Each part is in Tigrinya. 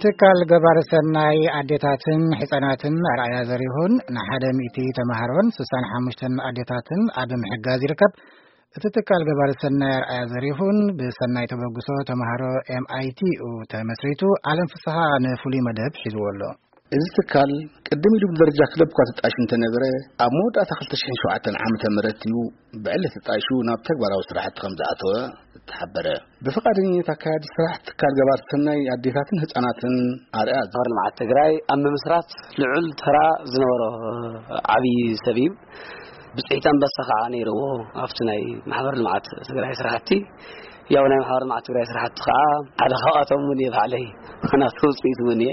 ትካል ገባር ሰናይ ኣዴታትን ሕፃናትን ኣርኣያ ዘሪሁን ንሓደ ሚእቲ ተማሃሮን ስሳን ሓሙሽተን ኣዴታትን ኣብ ምሕጋዝ ይርከብ። እቲ ትካል ገባር ሰናይ ኣርኣያ ዘሪሁን ብሰናይ ተበግሶ ተማሃሮ M I T U ተመስሪቱ። ዓለም ፍስሓ ንፍሉይ መደብ ሒዝዎ ኣሎ። እዚ ትካል ቅድም ኢሉ ብደረጃ ክለብ እኳ ተጣይሹ እንተነበረ፣ ኣብ መወዳእታ ክልተ ሽሕን ሸውዓተን ዓመተ ምህረት እዩ ብዕለት ተጣይሹ ናብ ተግባራዊ ስራሕቲ ከም ዝኣተወ ተሓበረ። ብፍቓደኝነት ኣካያዲ ስራሕ ትካል ገባር ሰናይ ኣዴታትን ህፃናትን ኣርኣያ ማሕበር ልምዓት ትግራይ ኣብ ምምስራት ልዑል ተራ ዝነበሮ ዓብዪ ሰብ እዩ። ብፅሒት ኣንበሳ ከዓ ነይርዎ ኣብቲ ናይ ማሕበር ልምዓት ትግራይ ስራሕቲ። ያው ናይ ማሕበር ልምዓት ትግራይ ስራሕቲ ከዓ ሓደ ካብኣቶም እውን እየ ባዕለይ፣ ናቱ ውፅኢት እውን እየ።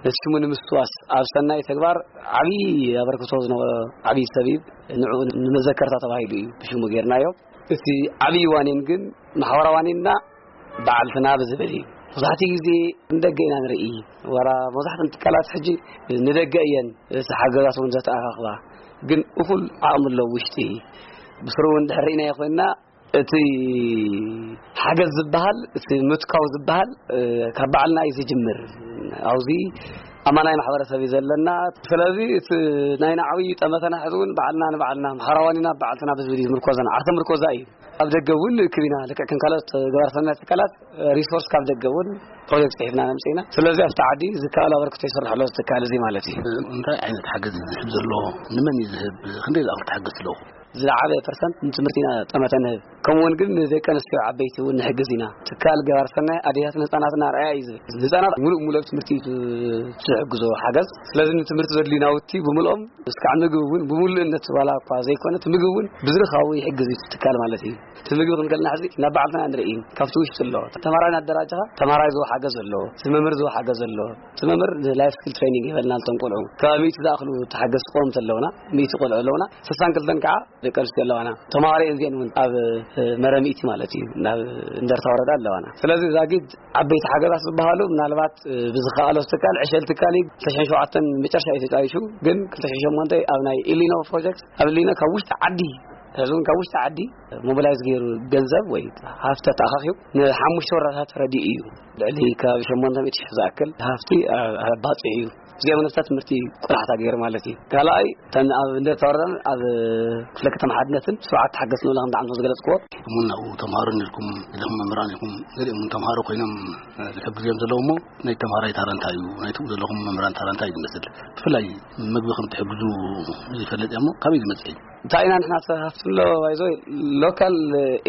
ነቲ ሽሙ ንምስትዋስ ኣብ ሰናይ ተግባር ዓብዪ ኣበርክቶ ዝነበሮ ዓብዪ ሰብ እዩ። ንዕኡ ንመዘከርታ ተባሂሉ እዩ ብሽሙ ጌርናዮ። እቲ ዓብዪ ዋኒን ግን ማሕበራዊ ዋኒንና በዓልትና ብዝብል እዩ። መብዛሕትኡ ግዜ ንደገ ኢና ንርኢ። ዋላ መብዛሕትኦም ትካላት ሕጂ ንደገ እየን እቲ ሓገዛት እውን ዘተኣኻኽባ። ግን እኹል ዓቕሚ ኣለዎ ውሽጢ። ብስሩ እውን ድሕር ርኢናዮ ኮይንና እቲ ሓገዝ ዝበሃል፣ እቲ ምትካው ዝበሃል፣ እ፣ ካብ ባዕልና እዩ ዝጅምር። ኣብዚ ኣማናይ ማሕበረሰብ እዩ ዘለና። ስለዚ እቲ ናይ ናዕዊ ጠመተና ሕዚ እውን ባዕልና ንባዕልና፣ ማሕበራዊ ዋኒንና በዓልትና ብዝብል እዩ ዝምርኮዘና። ዓርሰ ምርኮዛ እዩ። ኣብ ደገ እውን ንእክብ ኢና። ልክዕ ከም ካልኦት ገባር ሰናይ ትካላት፣ ሪሶርስ ካብ ደገ እውን ፕሮጀክት ጽሒፍና ነምጽእ ኢና። ስለዚ ኣብቲ ዓዲ ዝከኣል ኣበርክቶ ይስራሕ ኣሎ፣ እዚ ትካል እዚ ማለት እዩ። እንታይ ዓይነት ሓገዝ እዩ ዝህብ ዘሎ? ንመን እዩ ዝህብ? ክንደይ ዝኣኽል ትሓግዝ ኣለኹ? ዝለዓለ ፐርሰንት ንትምህርቲ ኢና ጠመተ ንህብ። ከምኡ እውን ግን ንደቂ ኣንስትዮ ዓበይቲ እውን ንሕግዝ ኢና። ትካል ገባር ሰናይ ኣዴታትን ህፃናትን ኣርኣያ እዩ ዝብል። ህፃናት ሙሉእ ሙሉእ ኣብ ትምህርቲ እዩ ዝሕግዞ ሓገዝ። ስለዚ ንትምህርቲ ዘድልዩ ናውቲ ብምልኦም እስካዕ ምግቢ እውን ብምሉእነት ዋላ እኳ ዘይኮነ፣ እቲ ምግቢ እውን ብዝርካቡ ይሕግዝ እዩ እቲ ትካል ማለት እዩ። እቲ ምግቢ ክንከልና ሕዚ ናብ ባዕልትና ንርኢ፣ ካብቲ ውሽጢ ኣሎ። ተማራይ እናደራጀኻ ተማራይ ዝወ ሓገዝ ኣሎ፣ እቲ መምህር ዝወ ሓገዝ ኣሎ። እቲ መምህር ንላይፍ ስኪል ትሬኒንግ ይበልና፣ ነቶም ቆልዑ ከባቢ ሚእቲ ዝኣኽሉ ተሓገዝቲ ቆምቲ ኣለውና፣ ሚእቲ ቆልዑ ኣለውና። ስሳን ክልተን ከዓ ደቂ ኣንስትዮ ኣለዋና። ተማሃሮ እየን እዚአን እውን ኣብ፣ እ፣ መረብ ሚእቲ ማለት እዩ፣ ናብ እንደርታ ወረዳ ኣለዋና። ስለዚ ዛጊድ ዓበይቲ ሓገዛት ዝበሃሉ ምናልባት፣ እ፣ ብዝኸኣሎ ትካል ዕሸል ትካል እዩ። ክልተ ሽሕን ሸውዓተን መጨረሻ እዩ ተጣይሹ፣ ግን ክልተ ሽሕን ሸሞንተ ኣብ ናይ ኢሊኖ ፕሮጀክት ኣብ ኢሊኖ ካብ ውሽጢ ዓዲ፣ ህዝቡን ካብ ውሽጢ ዓዲ ሞቢላይዝ ገይሩ ገንዘብ ወይ ሃፍተ ተኣኻኺቡ ንሓሙሽተ ወረዳታት ረዲኡ እዩ። ልዕሊ ከባቢ ሸሞንተ ሚእቲ ሺሕ ዝኣክል ሃፍቲ፣ እ፣ ኣባፂሑ እዩ። እዚኦም ነፍሳ ትምህርቲ ቆላሕታ ገይሩ ማለት እዩ። ካልኣይ፣ እተን ኣብ እንደ ተወረን ኣብ ክፍለ ከተማ ሓድነትን ስርዓት ተሓገዝቲ ንብላ ከም ዳዕምቶ ዝገለጽክዎ። እሙን ናብኡ ተምሃሮ ነርኩም፣ ገሊኹም መምህራን ኢኹም፣ ገሊኦም እውን ተምሃሮ ኮይኖም፣ እ፣ ዝሕግዝዮም ዘለዉ እሞ፣ ናይ ተምሃራይ ታራ እንታይ እዩ፣ ናይ ትብኡ ዘለኹም መምህራን ታራ እንታይ እዩ ዝመስል? ብፍላይ ምግቢ ከም ትሕግዙ ይፈልጥ እየ እሞ፣ ካበይ ዝመጽእ እዩ? እንታይ ኢና ንሕና ተሃፍትሎ ባይዞ ሎካል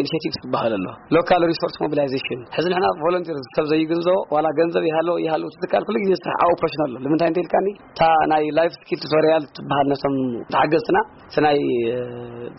ኢኒሼቲቭስ ዝበሃል ኣሎ፣ ሎካል ሪሶርስ ሞቢላይዜሽን። ሕዚ ንሕና ቮለንቲር ሰብ ዘይግንዞ ዋላ ገንዘብ ይሃሎ ይሃሎ ትትካል ኩሉ ግዜ ስራሕ ኣብ ኦፕሬሽን ኣሎ። ንምንታይ እንተ ኢልካኒ እታ ናይ ላይፍ ስኪል ቱቶሪያል ትበሃል ነቶም ተሓገዝትና እቲ ናይ፣ እ፣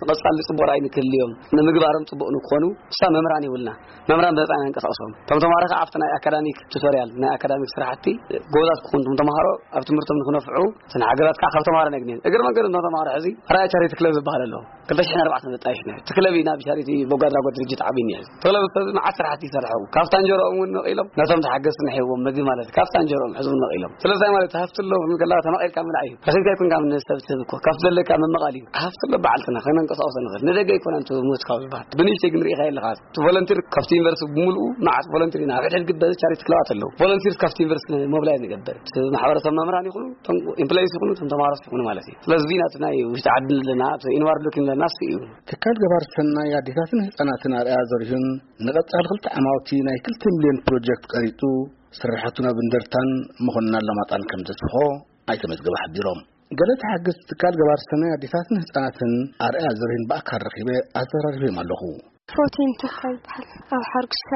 መቐጻሊ ጽቡቕ ራእይ ንክህልዮም ንምግባሮም ጽቡቕ ንክኾኑ እሳ መምህራን ይብልና። መምህራን ብነጻ ኢና ንንቀሳቐሶም። እቶም ተምሃሮ ከዓ ኣብቲ ናይ ኣካዳሚክ ቱቶሪያል ናይ ኣካዳሚክ ስራሕቲ ጎበዛት ክኾኑ እቶም ተምሃሮ ኣብ ትምህርቶም ንክነፍዑ እተን ሓገዛት ከዓ ካብ ተምሃሮ ነግንየን። እግሪ መንገዲ እቶም ተምሃሮ ሕዚ ራእይ ቻሪቲ ክለብ ዝበሃል ኣሎ። ክልተ ሽሕን ኣርባዕተን ዘጣየሽና እቲ ክለብ ኢና ብቻሪቲ በጎ ኣድራጎት ድርጅት ዓብይኒ። እቲ ክለብ እዚ መዓት ስራሕቲ ይሰርሑ። ካብታ እንጀራኦም እውን ነቒሎም ነቶም ተሓገዝቲ ንሕዎም ምግቢ ማለት ካብታ እንጀራኦም ሕዚ እውን ነቒሎም። ስለዚ ማለት ሃፍቲ ኣሎ ክንብል ከለካ ተመቒልካ ምብላዕ እዩ። ረኺብካ ኣይኮንካ ንሰብ ትህብ እኮ። ካብቲ ዘለካ ምምቓል እዩ። ሃፍቲ ኣሎ በዓልትና ከነንቀሳቕሶ ንኽእል። ንደገ ኣይኮነን እቲ ምትካው ዝበሃል። ብንእሽተይ ግን ርኢኻ የለኻ። እቲ ቮለንቲር ካብቲ ዩኒቨርሲቲ ብምሉኡ መዓት ቮለንቲር ኢና። ኣብ ሕድሕድ ግበ ቻሪቲ ክለባት ኣለዉ። ቮለንቲርስ ካብቲ ዩኒቨርሲቲ ሞቢላይዝ ንገብር። እቲ ማሕበረሰብ መምህራን ይኹኑ፣ እቶም ኤምፕሎይስ ይኹኑ፣ እቶም ተምሃሮስ ይኹኑ ማለት እዩ። ስለዚ እዚ ናቲ ናይ ውሽጢ ዓዲ ኣለና፣ እቲ ኢንዋርድ ሉኪንግ ኣለና፣ እሱ እዩ። ትካል ገባር ሰናይ ኣዴታትን ህፃናትን ኣርኣያ ዘሪሁን ንቐፃሊ ክልተ ዓማውቲ ናይ ክልተ ሚልዮን ፕሮጀክት ቀሪፁ ስራሕቱ ናብ እንደርታን መኾንና ኣለማጣን ከም ዘስፍሖ ኣይተ መዝገበ ሓቢሮም። ገለ ተሓገዝቲ ትካል ገባር ሰናይ ኣዴታትን ህፃናትን ኣርኣያ ዘሪሁን ብኣካል ረኺበ ኣዘራሪበዮም ኣለኹ። ፕሮቲን ተካ ይበሃል። ኣብ ሓርግሻ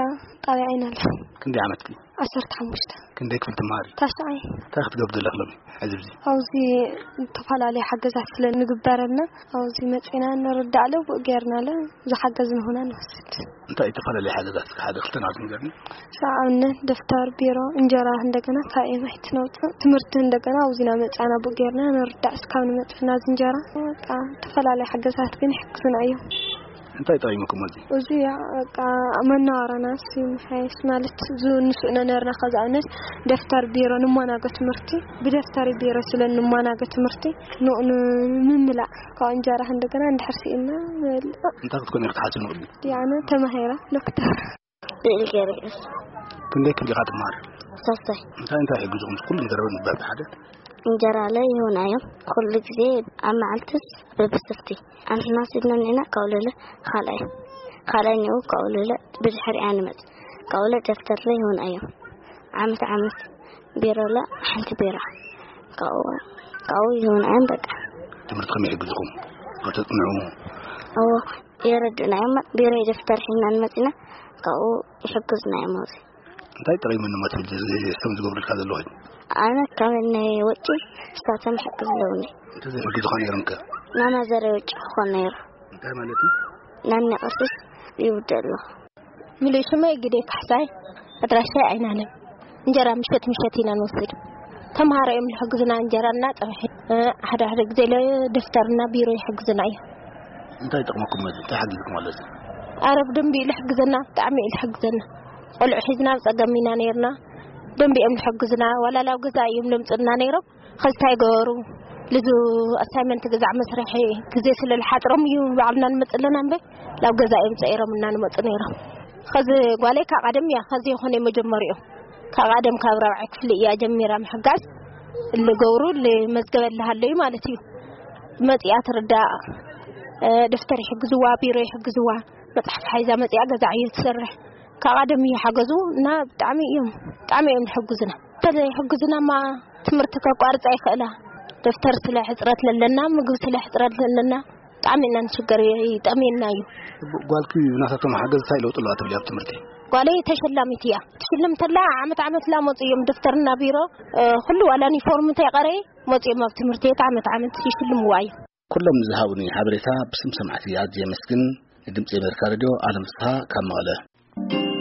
ጣብያ ዓይናለ። ክንደይ ዓመትኪ? ዓሰርተ ሓሙሽተ። ክንደይ ክፍሊ ትመሃሪ? ታሽዓይ። እንታይ ክትገብሪ ዘለኺ ሎሚ? ሕዚ ኣብዚ ዝተፈላለዩ ሓገዛት ስለ ንግበረልና ኣብዚ መፂና ንርዳእ ኣሎ፣ ብኡ ጌርና ኣሎ፣ ዝሓገዝ ንኾና ንወስድ። እንታይ ዝተፈላለዩ ሓገዛት እስከ ሓደ ክልተ ናብዚ ንገርኒ? ንኣብነት ደፍተር፣ ቢሮ፣ እንጀራ እንደገና ካብ ኤም ኣይ ቲ ነውፅእ። ትምህርቲ እንደገና ኣብዚ ኢና መፃና ብኡ ጌርና ንርዳእ እስካብ ንመፅእ ናዚ እንጀራ። በቃ ዝተፈላለዩ ሓገዛት ግን ይሕግዙና እዮም። እንታይ ጠቒሙኩም እዚ? እዚ ያ በቃ መናዋራና ሲ ምሓየሽ ማለት ዙ ንስእነ ነርና ከዚ ኣብነት ደፍተር ቢሮ ንማናገ ትምህርቲ ብደፍተር ቢሮ ስለ ንማናገ ትምህርቲ ንኡ ንምምላእ ካብ እንጀራ እንደገና እንድሕር ስኢና ንበልዕ። እንታይ ክትኮኒ ክትሓስቢ ንቕድሚት? ያነ ተማሂራ ዶክተር። ስእሊ ገይረ። ክንደይ ክፍሊ ኢኻ ትመሃር? ሳልሳይ። እንታይ እንታይ ይሕግዝኹም? ኩሉ ንዘረበ ንባብ ሓደ። እንጀራ ላይ ይሆናዮም ኩሉ ግዜ ኣብ መዓልትስ በብስፍቲ ኣንሕና ስድና ኔና ካውለለ ካልኣይ ካልኣይ ኒኡ ካውለለ ብድሕሪኣ ንመጽ ካውለ ደፍተር ላይ ይሆናዮም ዓመት ዓመት ቢሮ ለ ሓንቲ ቢሮ ካብኡ ካብኡ ይሆናዮም በቃ። ትምህርቲ ከመይ ይሕግዝኹም? ከተጽንዑ? እዎ የረድእና እዮም። ቢሮ ደፍተር ሒና ንመጺና ካብኡ ይሕግዝና እዮም። እንታይ ጠቒሙኒ ሞ ትብል እዚ ስቶም ዝገብሩልካ ዘለኹ? ኣነ ካብ ናይ ወጪ ንሳቶም ይሕግዙ ኣለውኒ። እንተዘይሕግዙኻ ነይሮም ከ? ናማዘረ ወጪ ክኾን ነይሩ። እንታይ ማለት እዩ? ናኒ ቅርሲስ ይውደ ኣለኹ። ምሉእ ሽመይ ግደ ካሕሳይ፣ ኣድራሻይ ኣይናለም። እንጀራ ምሸት ምሸት ኢና ንወስድ። ተምሃሮ እዮም ዝሕግዙና እንጀራና ጸብሒ፣ እ፣ ሓደ ሓደ ግዜ ለ ደፍተርና ቢሮ ይሕግዙና እዮም። እንታይ ይጠቕመኩም ማለት እንታይ ሓጊዝኩም ማለት? ኣረ ብደንቢ እዩ ዝሕግዘና፣ ብጣዕሚ እዩ ዝሕግዘና። ቆልዑ ሒዝና ኣብ ጸገም ኢና ነይርና። ደንቢ እዮም ዝሕግዙና። ዋላ ላብ ገዛ እዮም ለምጽና ነይሮም። ኸዚ እንታይ ገበሩ? ልዙ ኣሳይመንት ግዛዕ መስርሒ ግዜ ስለ ዝሓጽሮም እዩ ባዕልና ንመጽእ ኣለና እምበር ላብ ገዛ እዮም ጸይሮምና ንመጽእ ነይሮም። ኸዚ ጓለይ ካብ ቀደም እያ፣ ኸዚ ይኾነ መጀመሪኡ። ካብ ቀደም ካብ ራብዓይ ክፍሊ እያ ጀሚራ ምሕጋዝ። ልገብሩ ልመዝገበላ ሃለዩ ማለት እዩ። መጽኣ ትርዳእ፣ እ፣ ደፍተር ይሕግዝዋ፣ ቢሮ ይሕግዝዋ፣ መጽሓፍ ሓይዛ መጽኣ ገዛ እዩ ትሰርሕ። ካብ ቀደም እዩ ሓገዙ እና ብጣዕሚ እዮም፣ ብጣዕሚ እዮም ዝሕግዙና። እንተዘይሕግዙናማ ትምህርቲ ከቋርጻ ይኽእላ። ደፍተር ስለ ሕጽረት ለለና፣ ምግቢ ስለ ሕጽረት ለለና፣ ብጣዕሚ ኢና ንሽገር፣ ይጠምየና እዩ። ጓልኪ ናታቶም ሓገዝ እንታይ ለውጢ ኣለዋ ትብሊ ኣብ ትምህርቲ? ጓለይ ተሸላሚት እያ። ትሽልም ተላ ዓመት ዓመት ላ መጹ እዮም ደፍተርና ቢሮ፣ እ፣ ኩሉ ዋላ ዩኒፎርም እንተይቀረየ መጹ እዮም ኣብ ትምህርቲ ቤት ዓመት ዓመት ይሽልምዋ እዮም። ኩሎም ዝሃቡኒ ሓበሬታ ብስም ሰማዕቲ ኣዝየ የመስግን። ንድምጺ ኣሜሪካ ሬድዮ ኣለም ፍስሃ ካብ መቐለ።